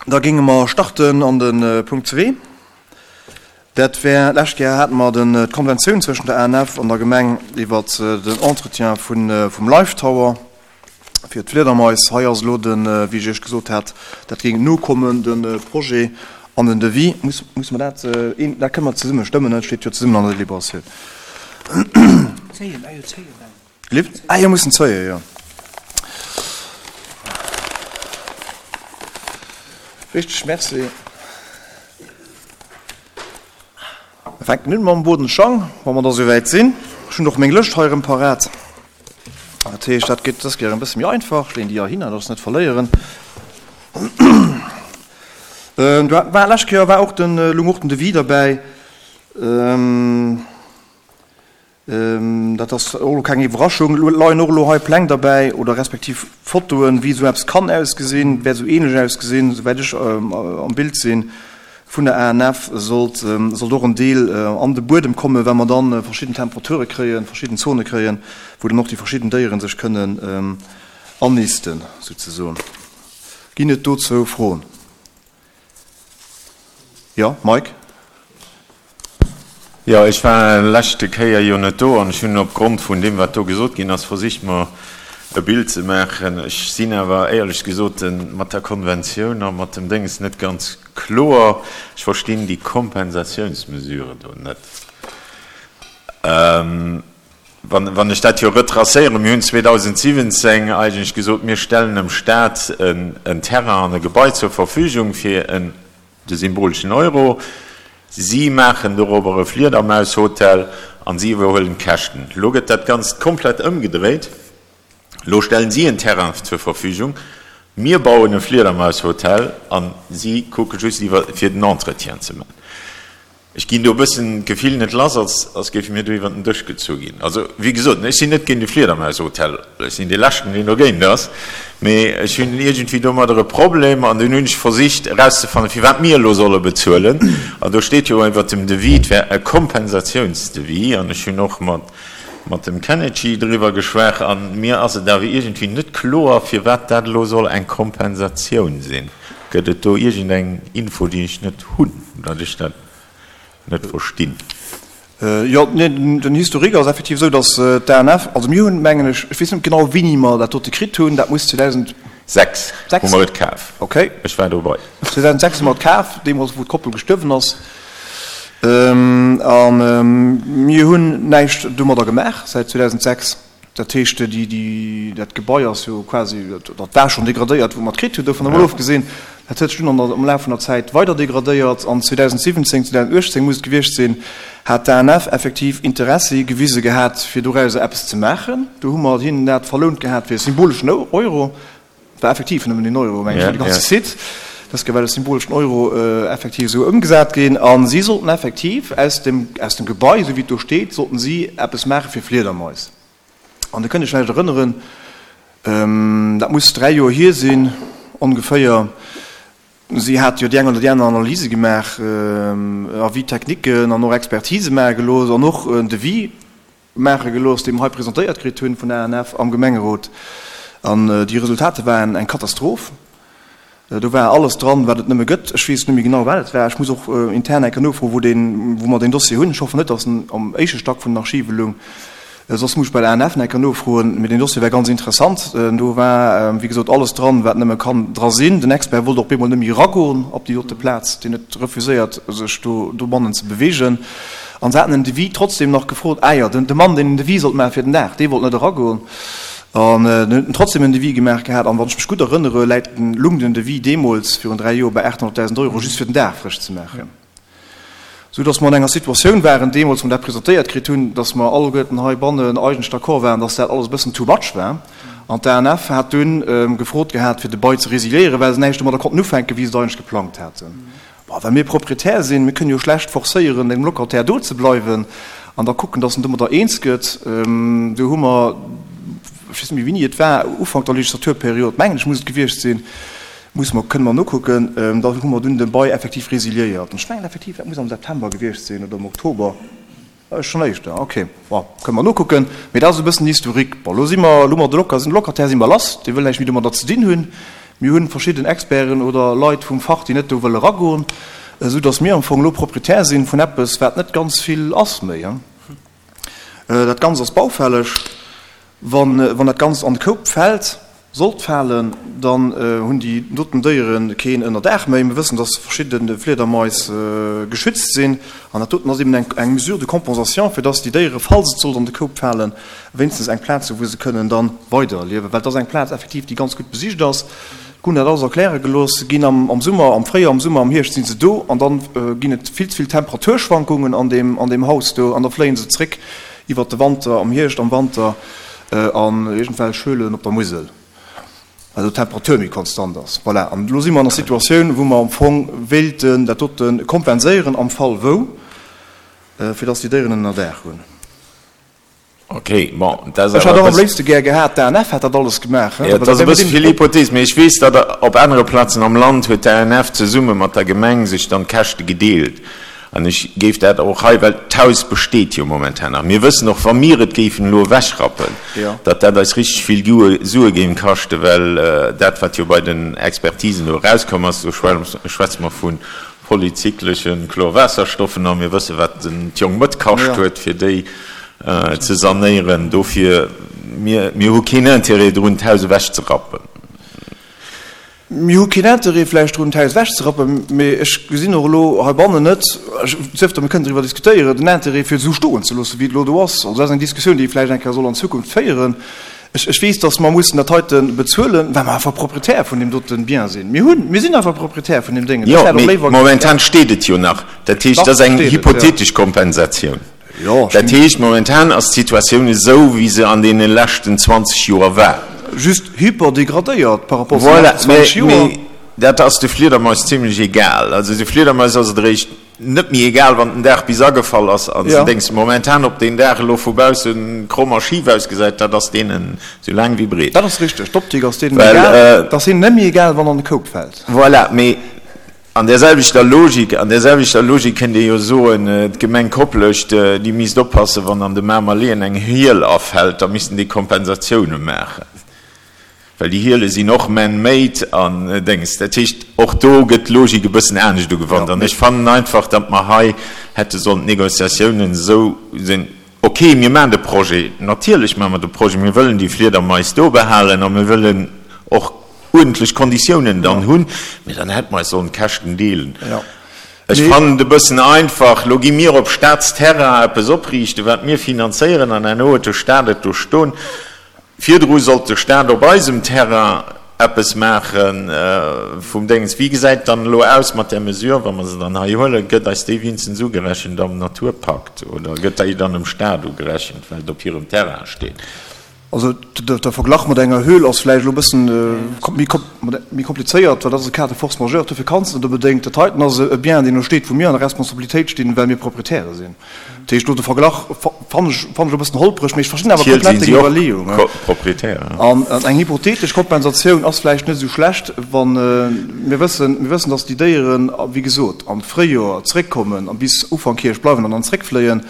Da géinge mer starten an de Punkt zwee. Dat wär, d'lescht Kéier hate mer den, d'Konventioun zwëschen der ANF an der Gemeng iwwert den Entretien vun, vum Life Tower fir d'Fliedermais. Hei ass elo den, wéi ech Iech gesot hat, dat géing nokommen, de Projet an den Devis. Muss, muss mer dat, een, dat kënne mer zesumme stëmmen, dat steet jo zesummen an der Deliberatioun. Zéien, ah jo, zéien, mengen. Lift? Ah jo, mussen zéien, jo. Richteg, merci. Mir fänken un mam Boden Schang, wa mer da souwäit sinn. Ech hunn och meng Lëscht hei erëm parat. Dat heescht, dat geet dës Kéier e bësse méi einfach. Ech leeën déi heihinner, dass ech se net verléieren. Do war d'lescht Kéier war och den, lung och den Devis derbäi. Dat ass och elo keng Iwwerraschung. Elo leien och elo hei Pläng derbäi oder respektiv Fotoen, wéi esou eppes kann ausgesinn, wäert esou ähnlech ausgesinn, souwäit ech am Bild sinn vun der ANF, sollt sollt och en Deel an de Buedem kommen, well mer dann verschidden Temperature kréien, verschidden Zone kréien, wou dann och déi verschidden Déiere sech kënnen annisten, souzesoen. Ginn et dozou Froen? Jo, Mike? Jo, ech war leschte Kéier jo net do an ech hunn opgrond vun deem, wat do gesot ginn ass, versicht mer e Bild ze maachen. Ech sinn awer éierlech gesot mat der Konventioun a mat dem Dénges net ganz kloer. Ech verstinn déi Kompensatiounsmesure do net. Wann ech dat jo retracéieren, mir hunn 2017 eigentlech gesot, mir stellen dem Stat en Terrain an e Gebai zur Verfügung fir en, de symboleschen Euro. Si maachen dorobber e Fliedermaushotel an si iwwerhuelen d'Käschten. Elo gëtt dat Ganzt komplett ëmgedréit. Elo stellen si en Terrain zur Verfügung, mir bauen e Fliedermaushotel an si kucke just iwwer fir den Entretien ze maachen. Ech ginn do e bëssen d'Gefill net lass, als als géife mir do iwwer den Dësch gezu ginn. Also, wéi gesot, ech sinn net géint e Fliedermaushotel, ech sinn dee Leschten, deen dogéint ass, mee ech hunn iergendwéi domadder e Problem an dunn hunn ech versicht erauszefannen, firwat mir elo solle bezuelen. An do steet jo iwwer dem Devis, et wär e Kompensatiounsdevis an ech hunn och mat mat dem Kennedy driwwer geschwat a mir ass et awer iergendwéi net kloer, firwat dat elo soll eng Kompensatioun sinn. Gëtt et do iergendeng Info, déi ech net hunn, datt ech dat net verstinn? Jo, nee, den Historique ass effektiv esou, datt d'ANF, also mir hunn, mengen ech, ech weess net genau, wéini mer dat dote kritt hunn, dat muss 2006 hu mer et kaf. Okay. Ech war dobei. 2006 hu mer et kaf, deemools wou d'Koppel gestuerwen ass. A mir hunn näischt domadder gemaach säit 2006. Dat heescht, déi, déi, dat Gebai ass jo quasi, dat war schonn degradéiert, wou mer et kritt hunn, dovun emol ofgesinn. Dat huet sech dunn an der, am Laf vun der Zäit weider degradéiert an 2017, 2018 muss et gewiescht sinn, hat d'ANF effektiv Interessi gewise gehat, fir dorauser eppes ze maachen. Do hu mer hinnen dat verlount gehat fir e symboleschen Euro. Et war effektiv nëmmen een Euro, mengen ech, fir de ganze Site. Dat ass well e symboleschen Euro effektiv esou ëmgesat ginn. A si sollten effektiv aus dem, aus dem Gebai, esou wéi et do steet, sollten si eppes maache fir Fliedermais. An Dir kënnt Iech vläicht erënneren, dat muss 3 Joer hier sinn ongeféier, si hat jo déi eng oder déi aner Analyse gemaach, Avis techniquen an och Expertise maache gelooss an och en Devis maache gelooss, dee mer hei presentéiert kritt hunn vun der ANF am Gemengerot. An déi Resultater waren eng Katastroph. Do war alles dran, wat et nëmme gëtt. Ech weess net méi genau, wat et war. Ech muss och intern eng Kéier nofroen, wou deen, wou mer deen Dossier hunn. Ech hoffen net, datt en am éischte Stack vun den Archive loung. Soss muss ech bei der ANF nach eng Kéier nofroen. Mee deen Dossier war ganz interessant. Do war, wéi gesot, alles dran, wat nëmme kann dra sinn. Den Expert wollt och bemol net méi eragoen op déi dote Plaz. Deen huet refuséiert, sech do dobannen ze beweegen. An se haten en Devis trotzdem nach gefrot. Ah jo, de Mann, deen den Devis sollt maachen fir den Daach, dee wollt net eragoen. An en huet trotzdem en Devis gemaach gehat. An wann ech mech gutt erënnere, läit den, lung den Devis deemools virun 3 Joer bei 800.000 Euro just fir den Daach frësch ze maachen. Sou datt mer an enger Situatioun waren deemools, wou mer dat presentéiert kritt hunn, datt mer alleguerten heibannen eigentlech d'accord waren, datt dat alles e bëssen too much war. An d'ANF hat dunn gefrot gehat, fir de Bail ze resiliéieren, well se näischt domadder konnten ufänken, wéi se et eigentlech geplangt haten. Bon, well mir Proprietär sinn, mir kënnen jo schlecht forcéieren, engem Locataire do ze bleiwen an da kucken, dass en domadder eens gëtt. Do hu mer, ech weess net méi wéini et war, Ufank der Legislaturperiod, mengen ech muss et gewiescht sinn, musse mer, kënne mer nokucken, da hu mer dunn de Bail effektiv resiliéiert. An ech mengen effektiv, dat muss am September gewiescht sinn oder am Oktober. Schonn éischter, ok. Bon, kënne mer nokucken. Mee dat ass e bëssen den Historique. Bon, elo si mer, elo hu mer de Loca, sinn de Locataire si mer lass, dee wëll näischt méi domadder ze dinn hunn. Mir hunn verschidden Experten oder Leit vum Fach, déi net do wëlle ragoen, esou dass mir am Fong elo Proprietär sinn vun eppes, wat net ganz vill ass méi. Dat Ganzt ass baufälleg. Wann dat Ganzt an de Koup fält, sollt falen, dann hunn déi doten Déiere keen Ënnerdaach méi. Mir wëssen, dass verschidde Fliedermais geschützt sinn. An dat doten ass eben eng Mesure de compensation, fir dass déi Déiere, falls et sollt an de Koup falen, wéinstens eng Plaz hu wou se kënnen da weiderliewen. Well et ass eng Plaz effektiv, déi ganz gutt besicht ass. Hunn dat alles erkläre gelooss. Se ginn am Summer, am Fréijoer, am Summer, am Hierscht si se do an da ginn et vill ze vill Temperaturschwankungen an deem Haus do an da fléie se zréck iwwert de Wanter, am Hierscht, am Wanter an iergendwelch Höhlen op der Musel, well do d'Temperatur méi konstant ass. Voilà, an elo si mer an der Situatioun, wou mer am Fong wéilten dat dote kompenséieren am Fall wou, fir dass déi Déieren en Ënnerdaach hunn. Ok, bon, dat ass Ech hätt och am léifste gär gehat, d'ANF hätt dat alles gemaach. Jo, dat ass e bësse vill Hypothees, mee ech weess, datt op anere Plazen am Land huet d'ANF zesumme mat der Gemeng sech dann d'Käschte gedeelt. An ech géif dat och hei, well d'Haus besteet jo momentan nach, mir wëssen och, wa mir et géifen elo ewechrappen, datt dat eis richteg vill Sue géing kaschten, well dat, wat jo bei den Expertisen do erauskomm ass, do schwätze mer vu polyzykleche Chlorwaasserstoffen a mir wëssen, wat d'Jong Mëtt kascht huet, fir déi ze sanéieren. Dofir, mir, mir hu keen Intérêt drun, d'Haus ewechzerappen. Mir hu keen Intérêt vläicht drun, d'Haus ewechzerappen, mee ech gesinn och elo heibannen net, sief der, mir kënnen driwwer diskutéieren, den Intérêt, fir et esou stoen ze loossen, wéi et elo do ass. Also dat ass eng Diskussioun, déi ee vläicht eng Kéier soll an Zukunft féieren. Ech, ech weess, dass mer mussen dat heite bezuelen, well mer einfach Proprietär vun deem dote Bien sinn. Mir hunn, mir sinn einfach Proprietär vun deem Déngen. Jo, mee momentan steet et jo nach. Dat heescht, dat ass eng hypothetesch Kompensatioun. Dat heescht, momentan ass d'Situatioun esou, wéi se an deene leschten 20 Joer war. Just hyperdegradéiert par rapport zu de leschten 20 Joer. Voilà, mee dat ass de Fliedermais zimlech egal. Also de Fliedermais ass et eréischt net méi egal, wann den Daach bis agefall ass a se dénks momentan, ob deen Daach elo vu bausse kromm a schif ausgesäit, dat ass deenen esou laang wéi breet. Dat ass richteg, d'Optik ass deenen egal. Et ass hinnen net méi egal, wann an de Koup fält. Voilà, mee An där selwechter Logik, an där selwechter Logik kënnt ee jo soen, d'Gemeng Koplescht, déi misst oppassen, wann an de Mamer Leeën eng Hiel afält, da missten déi Kompensatioune maachen, well déi Hiele sinn och man-made an Déngs. Dat heescht, och do gëtt d'Logik e bëssen anescht ugewannt. An ech fannen einfach, datt mer hei hätte sollen d'Négociatiounen esou sinn, ok, mir maachen de Projet, natierlech maache mer de Projet, mir wëllen déi Fliedermais do behalen a mir wëllen och uerdentlech Konditiounen dann hunn, mee dann hätte mer eis sollen d'Käschten deelen. Ech fannen et e bëssen einfach, elo gi mir op Staatsterrain eppes opriichten, wat mir finanzéieren, an herno huet de Staat et do stoen. Virdru sollt de Staat op eisem Terrain eppes maache vum Déngens. Wéi gesäit et dann elo aus mat där Mesure, wa mer se dann hei huelen? Gëtt eis déi wéinstens ugerechent am Naturpakt oder gëtt déi dann dem Staat ugerechent, well et op hirem Terrain steet? Also de Verglach mat enger Höhl ass vläicht elo e bëssen méi komplizéiert, well dat ass e Cas de force majeure, dofir kanns de net onbedéngt. Dat heiten ass e Bien, deen do steet, wou mir an der Responsabilitéit stinn, well mir Proprietäre sinn. Dat heescht, elo de Verglach fannen ech fannen ech e bëssen holpreg, mee ech verstinn awer komplett deng Iwwerleeung. An eng hypothetesch Kompensatioun ass vläicht net esou schlecht, wa mir wëssen, mir wëssen, datt déi Déieren, wéi gesot, am Fréijoer zréckkommen a bis Ufank Hierscht bleiwen an dann zréckfléien.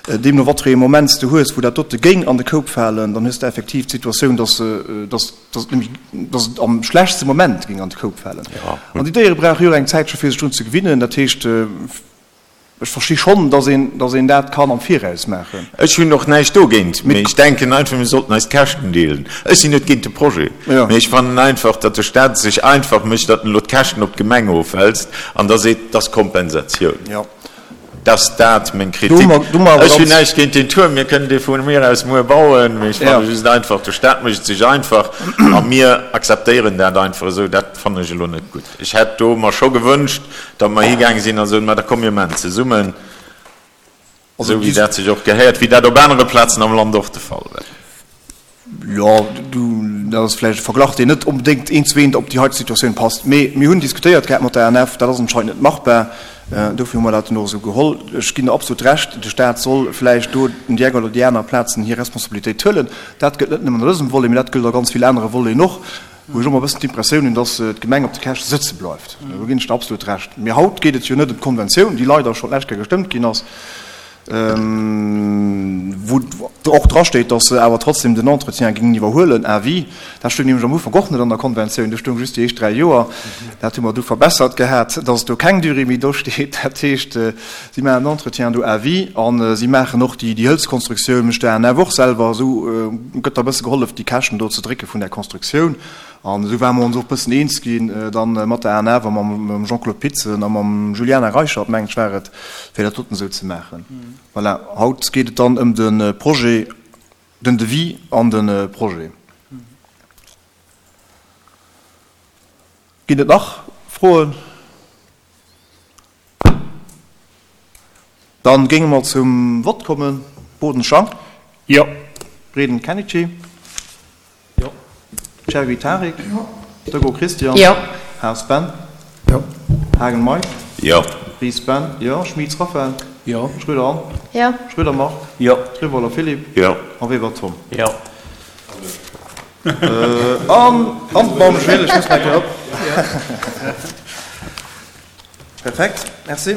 Deemno wat fir ee Moment s de hues, wou dat dote géing an de Koup falen, dann hues de effektiv d'Situatioun, dass se, dass, dass et nämlech, dass et am schlechtste Moment géing an de Koup falen. An déi Déiere brauche jo och eng Zäitche fir sech drun ze gewinnen. Dat heescht, ech versti schonn, dass een, dass een dat kann am Viraus maachen. Ech hunn och näischt dogéint, mee ech denken einfach, mir sollten eis d'Käschten deelen. Ech sinn net géint de Projet, mee ech fannen einfach, datt de Stat et sech einfach mécht, datt en elo d'Käschten op d'Gemeng ofwälzt an da seet, dat ass Kompensatioun. Dass dat meng Kritik. Ech hunn näischt géint deen Tuerm, mir kënnen dee vu mir aus muer bauen, mee ech fanne just einfach, de Staat mécht et sech einfach a mir akzeptéieren dat einfach esou. Dat fannen ech elo net gutt. Ech hätt do mer scho gewënscht, datt mer higaange sinn a soen, ma da komm mir maachen zesummen, esou wéi dat sech och gehéiert, wéi dat op anere Plazen am Land och de Fall war. Jo, dat ass vläicht e Verglach, deen net onbedéngt eent zu eent op déi heite Situatioun passt. Mee mir hunn diskutéiert gehat mat der ANF, dat ass anscheinend net machbar. Dofir hu mer dat dann och esou geholl. Ech ginn der absolut Recht, de Stat soll vläicht do un déi eng oder déi aner Plazen hir Responsabilitéit huelen. Dat gëllt net nëmmen an dësem Volet, mee dat gëllt a ganz vill anere Voleten och, wou ech och emmer e bëssen d'Impressioun hunn, dass d'Gemeng op de Käschte sëtze bleift. Do ginn ech der absolut Recht. Mee haut geet et jo net ëm d'Konventioun, déi leider schonn d'lescht Kéier gestëmmt ginn ass. Wou och drasteet, datt se awer trotzdem den Entretien géingen iwwerhuelen à vie. Dat stoung nämlech am Ufank och net an der Konventioun, do stoung just déi éischt 3 Joer. Dat hu mer du verbessert gehat, datt do keng Durée méi dosteet. Dat heescht, si maachen den Entretien do à vie a si maachen och déi Hëlzkonstruktioun, mécht d'ANF och selwer. Esou gëtt da e bësse gehollef, déi Käschten do ze drécke vun där Konstruktioun. An esou ware mer ons och e bëssen eens ginn dann mat der ANF a mam Jean-Claude Pitzen a mam Juliana Reichert, mengen ech war et, fir dat doten esou ze maachen. Voilà, haut geet et dann ëm de Projet, den Devis an de Projet. Ginn et nach Froen? Dann géinge mer zum Vott kommen. Boden Jean. Jo. Breden Kenichi. Jo. Chergui Tarik. Jo. Degault Christian. Jo. Haas Ben. Jo. Haagen Mike. Jo. Ries Ben. Jo. Schmitz Raphaël. Jo. Schröder Anne. Jo. Schröder Marc. Jo. Rivoller Philippe. Jo. A Weber Tom. Jo. An d'Madame Gilles, ech muss nach eng Kéier op. Perfekt, merci.